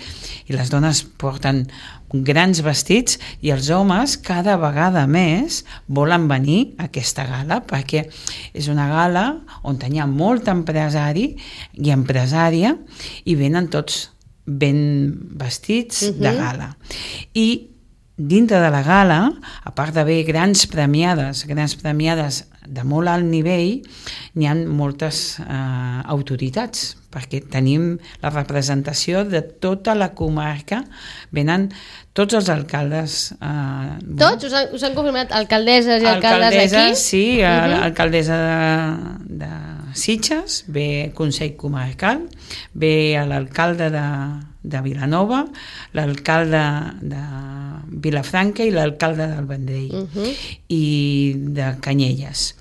i les dones porten grans vestits i els homes cada vegada més volen venir a aquesta gala perquè és una gala on hi ha molt empresari i empresària i venen tots ben vestits de gala. I dintre de la gala, a part d'haver grans premiades de molt alt nivell, n'hi ha moltes autoritats, perquè tenim la representació de tota la comarca, venen tots els alcaldes. Tots? Us han confirmat alcaldesses i alcaldes d'aquí? Sí, alcaldessa de Sitges, ve Consell Comarcal, ve l'alcalde de Vilanova, l'alcalde de Vilafranca i l'alcalde del Vendrell i de Canyelles.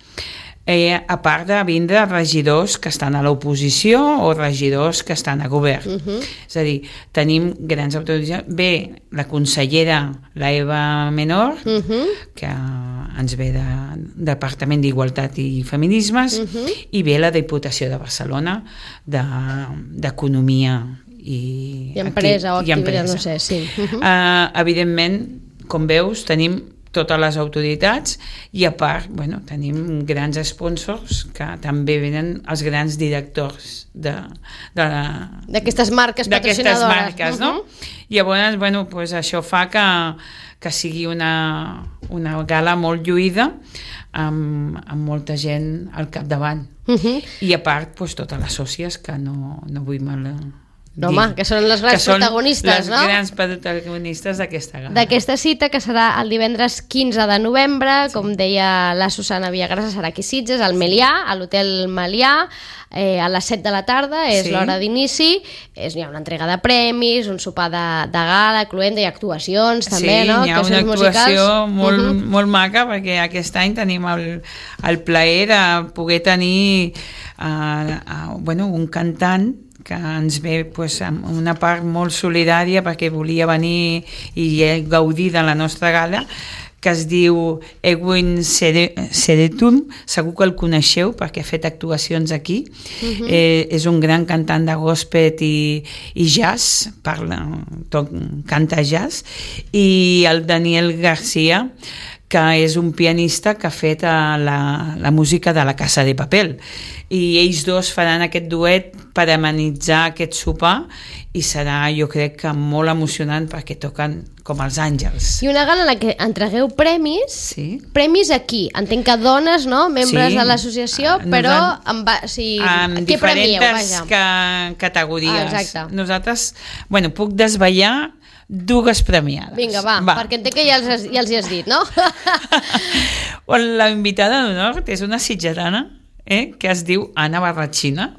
A part de vindre regidors que estan a l'oposició o regidors que estan a govern. És a dir, tenim grans autoritats. Ve la consellera, la Eva Menor, que ens ve del Departament d'Igualtat i Feminismes, i ve la Diputació de Barcelona d'Economia i empresa o activitat, no sé, sí. Evidentment, com veus, tenim totes les autoritats i a part, tenim grans sponsors que també venen els grans directors d'aquestes marques patrocinadores. D'aquestes marques, no? I llavors, això fa que sigui una gala molt lluïda amb molta gent al capdavant. I a part, totes les sòcies que no vull mal... No, home, que són les grans protagonistes, no? Les grans protagonistes d'aquesta gala. D'aquesta cita, que serà el divendres 15 de novembre, com deia la Susana Villagrasa, serà aquí a Sitges, al Melià, a l'Hotel Melià, a les 7 de la tarda, és l'hora d'inici, hi ha una entrega de premis, un sopar de gala, cluent i actuacions també, no? Sí, hi ha una actuació molt maca, perquè aquest any tenim el plaer de poder tenir un cantant que ens ve amb una part molt solidària perquè volia venir i gaudir de la nostra gala, que es diu Edwin Seretum, segur que el coneixeu perquè ha fet actuacions aquí. És un gran cantant de gospel i jazz, canta jazz, i el Daniel García, que és un pianista que ha fet la música de La Casa de Papel. I ells dos faran aquest duet per amenitzar aquest sopar i serà, jo crec que molt emocionant perquè toquen com els àngels. I una gala en la que entregueu premis, premis aquí. Entenc que dones, no? Membres de l'associació, però amb diferents categories. Exacte. Nosaltres, puc desvetllar dues premiades. Vinga, va, perquè entenc que ja els hi has dit, no? La invitada d'honor és una sitgetana que es diu Anna Barratxina,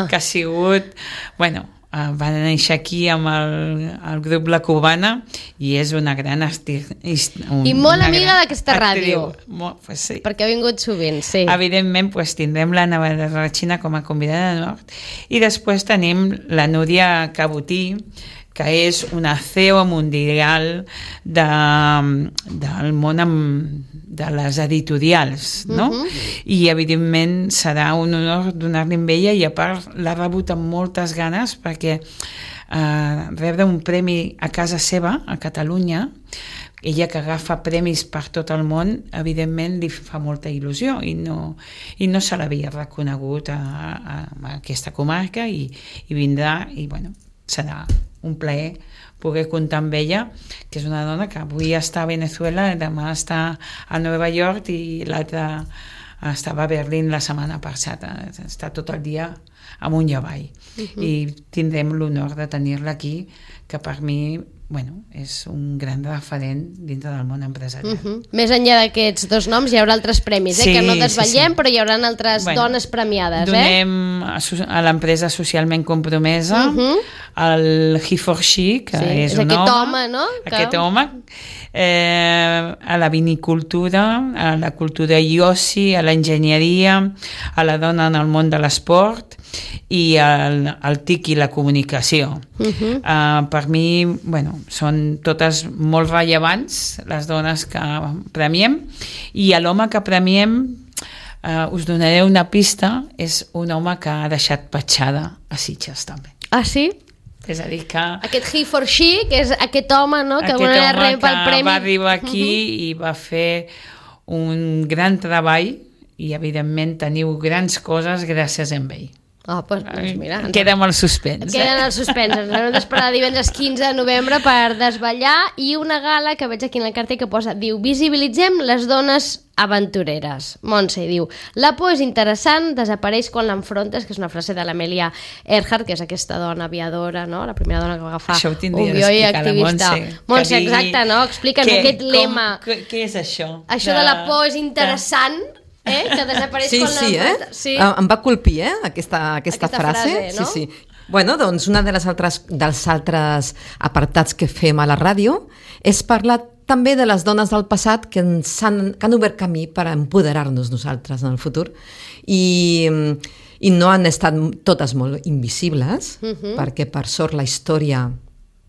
que ha sigut, va néixer aquí amb el grup La Cubana i és una gran artista. I molt amiga d'aquesta ràdio. Sí. Perquè ha vingut sovint, sí. Evidentment, tindrem l'Anna Barratxina com a convidada d'honor i després tenim la Núria Cabotí, que és una CEO mundial del món de les editorials, no? I evidentment serà un honor donar-li amb ella i a part l'ha rebut amb moltes ganes perquè rebre un premi a casa seva, a Catalunya, ella que agafa premis per tot el món, evidentment li fa molta il·lusió i no se l'havia reconegut a aquesta comarca i vindrà i serà un plaer poder comptar amb ella, que és una dona que avui està a Venezuela, demà està a Nova York i l'altra estava a Berlín la setmana passada. Està tot el dia amunt i avall. I tindrem l'honor de tenir-la aquí, que per mi és un gran referent dintre del món empresarial. Més enllà d'aquests dos noms hi haurà altres premis, que no desvetllem, però hi haurà altres dones premiades. Donem a l'empresa socialment compromesa el He for She, que és un home, aquest home, a la vinicultura, a la cultura i oci, a l'enginyeria, a la dona en el món de l'esport i al TIC i la comunicació. Per mi, són totes molt rellevants les dones que premiem, i a l'home que premiem us donaré una pista, és un home que ha deixat petjada a Sitges també. Ah, sí? És a dir que... Aquest He for She, que és aquest home, no?, que va arribar aquí i va fer un gran treball, i evidentment teniu grans coses gràcies a ell. Doncs mira, queda amb el suspens. Queda en el suspens. Ens hem d'esperar divendres 15 de novembre per desvetllar, i una gala que veig aquí en el cartell que diu: visibilitzem les dones aventureres. Montse diu: la por és interessant, desapareix quan l'enfrontes, que és una frase de l'Amelia Earhart, que és aquesta dona aviadora, no?, la primera dona que va agafar un avió i activista. Montse, exacte, no? Explica'ns aquest lema. Què és això? Això de la por és interessant, que desapareix quan l'enfrontes. Sí. Em va colpir, aquesta frase. No? Sí. Bueno, doncs una dels altres apartats que fem a la ràdio és parlar també de les dones del passat que han obert camí per empoderar-nos nosaltres en el futur, i no han estat totes molt invisibles, perquè per sort la història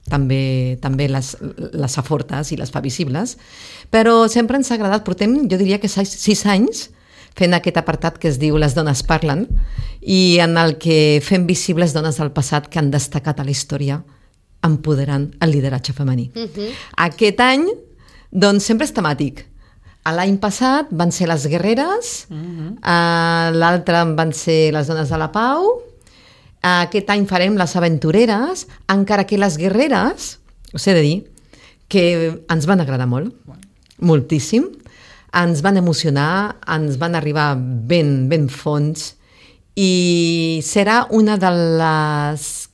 també les afortes i les fa visibles, però sempre ens ha agradat. Portem, jo diria que 6 anys fent aquest apartat que es diu Les dones parlen, i en el que fem visibles dones del passat que han destacat a la història empoderant el lideratge femení. Aquest any, doncs, sempre és temàtic. L'any passat van ser les guerreres, l'altre van ser les dones de la pau, aquest any farem les aventureres, encara que les guerreres, us he de dir, que ens van agradar molt, moltíssim, ens van emocionar, ens van arribar ben fons, i serà una de les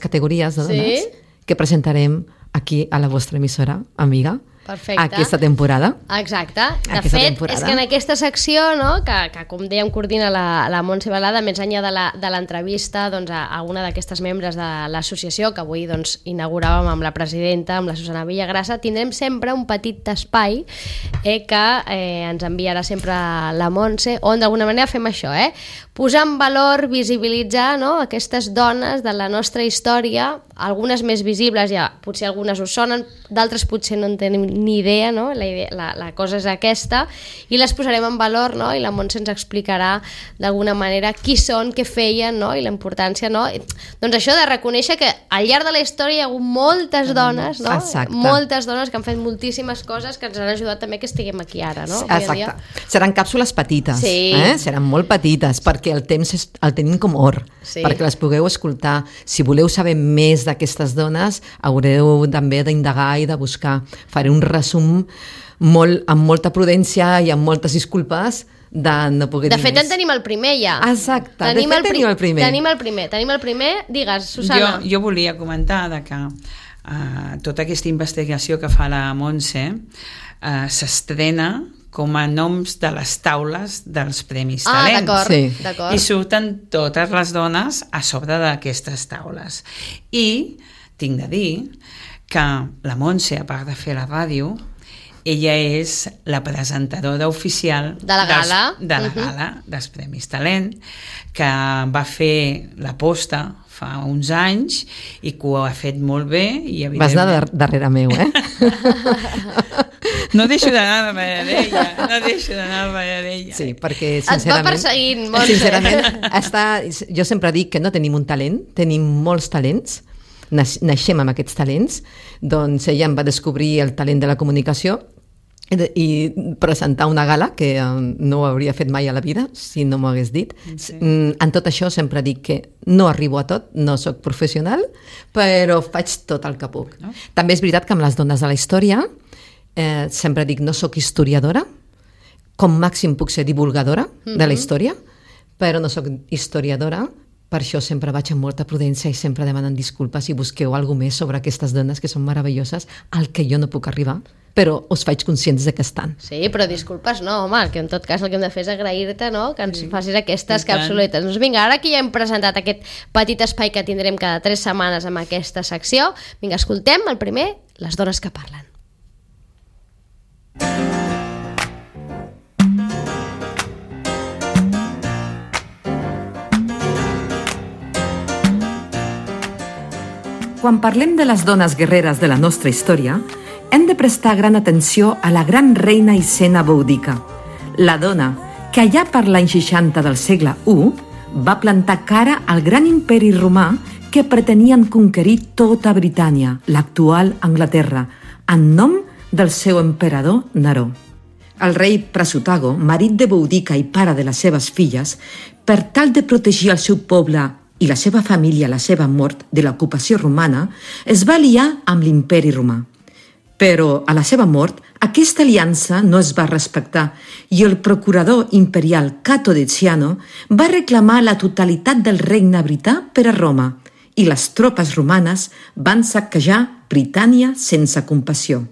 categories de dones que presentarem aquí a la vostra emissora, amiga, aquesta temporada. Exacte. De fet, és que en aquesta secció, no, que com dèiem coordina la Montse Balada, més enllà de l'entrevista a una d'aquestes membres de l'associació, que avui inauguràvem amb la presidenta, amb la Susana Villagrasa, tindrem sempre un petit espai que ens enviarà sempre la Montse, on d'alguna manera fem això, posar en valor, visibilitzar aquestes dones de la nostra història, algunes més visibles, ja potser algunes us sonen, d'altres potser no en tenim ni idea, no? La cosa és aquesta, i les posarem en valor, no? I la Montse ens explicarà d'alguna manera qui són, què feien, no? I la importància, no? Doncs això de reconèixer que al llarg de la història hi ha hagut moltes dones, no? Moltes dones que han fet moltíssimes coses que ens han ajudat també que estiguem aquí ara, no? Exacte. Seran càpsules petites, seran molt petites, perquè el temps el tenim com or, perquè les pugueu escoltar. Si voleu saber més d'aquestes dones, haureu també d'indagar i de buscar. Faré un resum amb molta prudència i amb moltes disculpes de no poder dir més. De fet, en tenim el primer ja. Exacte, tenim el primer. Digues, Susana. Jo volia comentar que tota aquesta investigació que fa la Montse s'estrena com a noms de les taules dels Premis Talent. D'acord. I surten totes les dones a sobre d'aquestes taules. I tinc de dir que la Montse, a part de fer la ràdio, ella és la presentadora oficial de la gala dels Premis Talent, que va fer l'aposta fa uns anys i que ho ha fet molt bé. Vas anar darrere meu, No deixo d'anar darrere d'ella. Sí, perquè sincerament... Et va perseguint, Montse. Sincerament, jo sempre dic que no tenim un talent, tenim molts talents, naixem amb aquests talents. Doncs ella em va descobrir el talent de la comunicació i presentar una gala que no ho hauria fet mai a la vida si no m'ho hagués dit. En tot això sempre dic que no arribo a tot, no sóc professional, però faig tot el que puc. També és veritat que amb les dones de la història sempre dic no sóc historiadora, com màxim puc ser divulgadora de la història, però no sóc historiadora per això sempre vaig amb molta prudència i sempre demanant disculpes i busqueu alguna més sobre aquestes dones que són meravelloses, al que jo no puc arribar, però us faig conscients de que estan. Sí, però disculpes no, home, que en tot cas el que hem de fer és agrair-te, no?, que ens facis aquestes capsuletes. Doncs vinga, ara que ja hem presentat aquest petit espai que tindrem cada 3 setmanes amb aquesta secció, vinga, escoltem el primer, les dones que parlen. Quan parlem de les dones guerreres de la nostra història, hem de prestar gran atenció a la gran reina Hisenda Boudica, la dona que allà per l'any 60 del segle I va plantar cara al gran imperi romà que pretenien conquerir tota Britània, l'actual Anglaterra, en nom del seu emperador Neró. El rei Prasutago, marit de Boudica i pare de les seves filles, per tal de protegir el seu poble i la seva família a la seva mort de l'ocupació romana, es va aliar amb l'imperi romà. Però a la seva mort, aquesta aliança no es va respectar i el procurador imperial Cato Deciano va reclamar la totalitat del regne brità per a Roma i les tropes romanes van saquejar Britània sense compassió.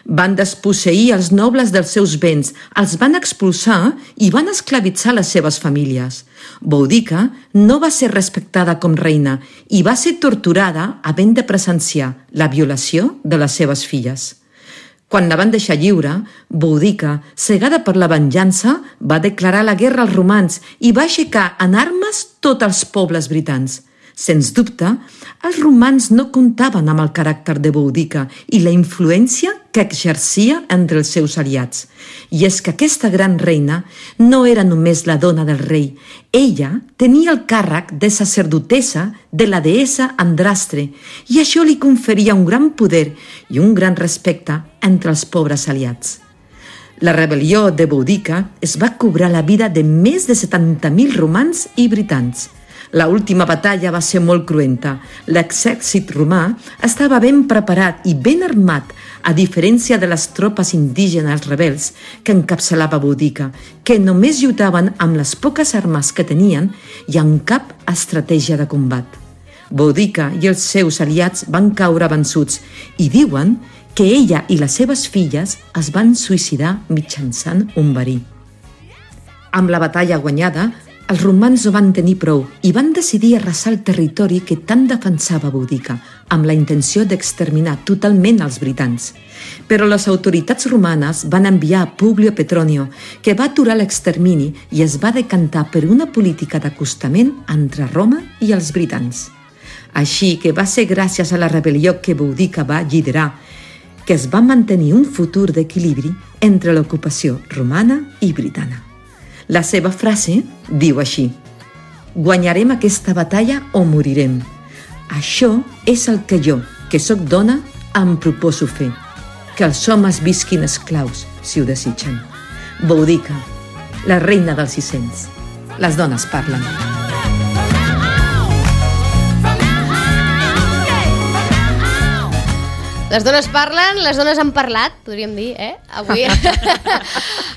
Van desposseir els nobles dels seus béns, els van expulsar i van esclavitzar les seves famílies. Boudica no va ser respectada com reina i va ser torturada havent de presenciar la violació de les seves filles. Quan la van deixar lliure, Boudica, cegada per la venjança, va declarar la guerra als romans i va aixecar en armes tots els pobles britans. Sens dubte, els romans no comptaven amb el caràcter de Boudica i la influència que exercia entre els seus aliats. I és que aquesta gran reina no era només la dona del rei. Ella tenia el càrrec de sacerdotessa de la deessa Andrastre i això li conferia un gran poder i un gran respecte entre els pobres aliats. La rebel·lió de Boudica es va cobrar la vida de més de 70.000 romans i britans. La última batalla va ser molt cruenta. L'exèrcit romà estava ben preparat i ben armat, a diferència de les tropes indígenes rebels que encapçalava Boudica, que només lluitaven amb les poques armes que tenien i amb cap estratègia de combat. Boudica i els seus aliats van caure vençuts i diuen que ella i les seves filles es van suïcidar mitjançant un verí. Amb la batalla guanyada, els romans no van tenir prou i van decidir arrasar el territori que tant defensava Boudica, amb la intenció d'exterminar totalment els britans. Però les autoritats romanes van enviar a Publio Petronio, que va aturar l'extermini i es va decantar per una política d'acostament entre Roma i els britans. Així que va ser gràcies a la rebel·lió que Boudica va liderar que es va mantenir un futur d'equilibri entre l'ocupació romana i britana. La seva frase diu així: guanyarem aquesta batalla o morirem. Això és el que jo, que sóc dona, em proposo fer. Que els homes visquin esclaus, si ho desitgen. Boudica, la reina dels 600. Les dones parlen. Les dones parlen, les dones han parlat, podríem dir,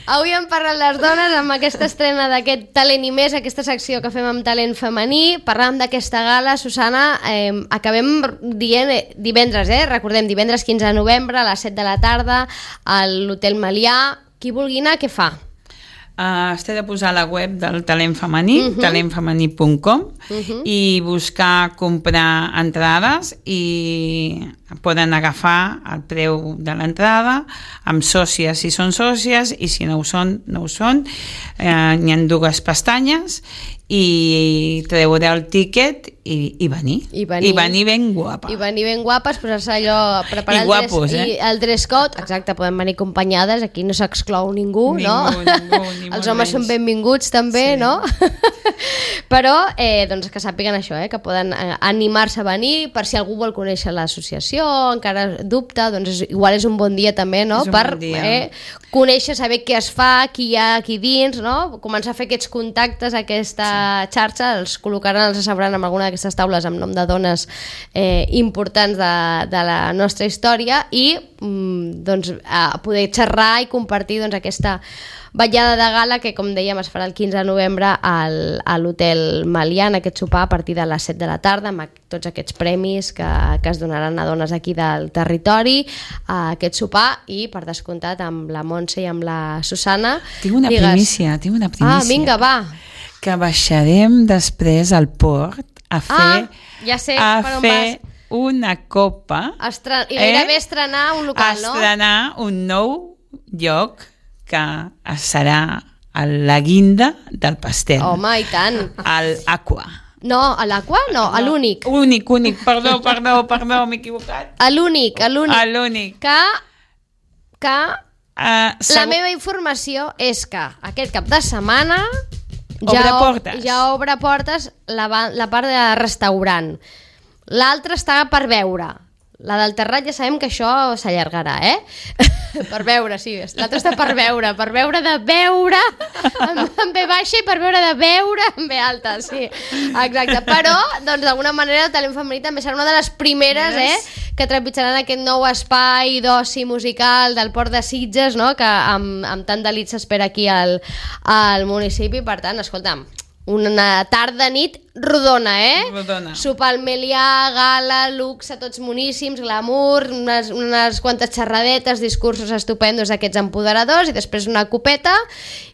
Avui han parlat les dones amb aquesta estrena d'aquest Talent i Més, aquesta secció que fem amb talent femení. Parlàvem d'aquesta gala, Susana, acabem dient divendres, recordem, divendres 15 de novembre a les 7 de la tarda a l'Hotel Melià. Qui vulgui anar, què fa? Es té de posar a la web del Talent Femení, talentfemení.com, i buscar comprar entrades i poden agafar el preu de l'entrada amb sòcies si són sòcies i si no ho són, no ho són. N'hi ha 2 pestanyes i treure el tíquet i venir. I venir ben guapa. I venir ben guapes, posar-se allò, preparar el dress code. Exacte, poden venir acompanyades, aquí no s'exclou ningú, no? Ningú, els homes són benvinguts també, no? Però doncs que sàpiguen això, que poden animar-se a venir, per si algú vol conèixer l'associació, encara dubta, doncs igual és un bon dia també, no? Per conèixer, saber què es fa, qui hi ha aquí dins, no? Començar a fer aquests contactes, aquesta xarxa, els col·locaran, els asseuran en alguna d'aquestes taules amb nom de dones importants de la nostra història i doncs, poder xerrar i compartir doncs, aquesta vetllada de gala que, com dèiem, es farà el 15 de novembre a l'Hotel Melià, en aquest sopar a partir de les 7 de la tarda, amb tots aquests premis que es donaran a dones aquí del territori, a aquest sopar, i per descomptat amb la Montse i amb la Susana. Tinc una primícia. Ah, vinga, va. Que baixarem després al port a fer, ja sé per on vas. Una copa. I gairebé estrenar un local, no? Estrenar un nou lloc que serà a la guinda del pastel. Home, i tant. A l'Aqua. No, a l'Aqua? No, a l'Únic. Únic, perdó, m'he equivocat. A l'Únic. A l'Únic. Que la meva informació és que aquest cap de setmana ja obre portes la part de restaurant. L'altra està per veure. La del Terrat ja sabem que això s'allargarà, per veure, sí. L'altra està per veure de veure en B baixa i per veure de veure en B alta, sí. Exacte. Però, doncs, d'alguna manera el Talent Femení també serà una de les primeres, que trepitjaran aquest nou espai d'oci musical del Port de Sitges, no? Que amb tant delit s'espera aquí al municipi. Per tant, escolta'm, una tarda-nit rodona, Rodona. Sopar al Melià, gala, luxe, tots moníssims, glamour, unes quantes xerradetes, discursos estupendos d'aquests empoderadors i després una copeta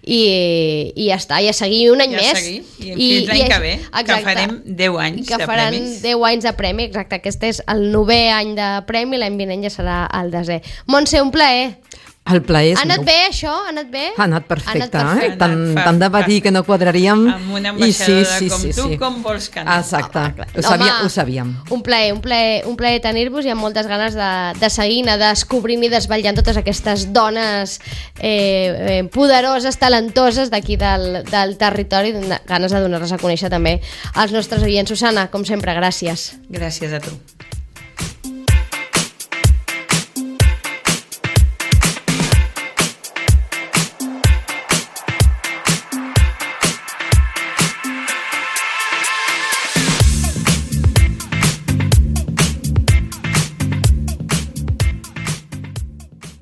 i ja està, i a seguir un any més. I fins l'any que ve, que farem 10 anys de premis. Que faran 10 anys de premi, exacte. Aquest és el 9è any de premi, l'any vinent ja serà el 10è. Montse, un plaer. El plaer és ha anat bé, això? Ha anat bé? Ha anat perfecte, Tant de patir que no quadraríem. Amb una ambaixadora com tu, com vols que no. Exacte, ho sabíem. Un plaer tenir-vos i amb moltes ganes de seguir, anar descobrint i desvetllant totes aquestes dones poderoses, talentoses d'aquí del territori, ganes de donar-les a conèixer també als nostres oients. Susana, com sempre, gràcies. Gràcies a tu.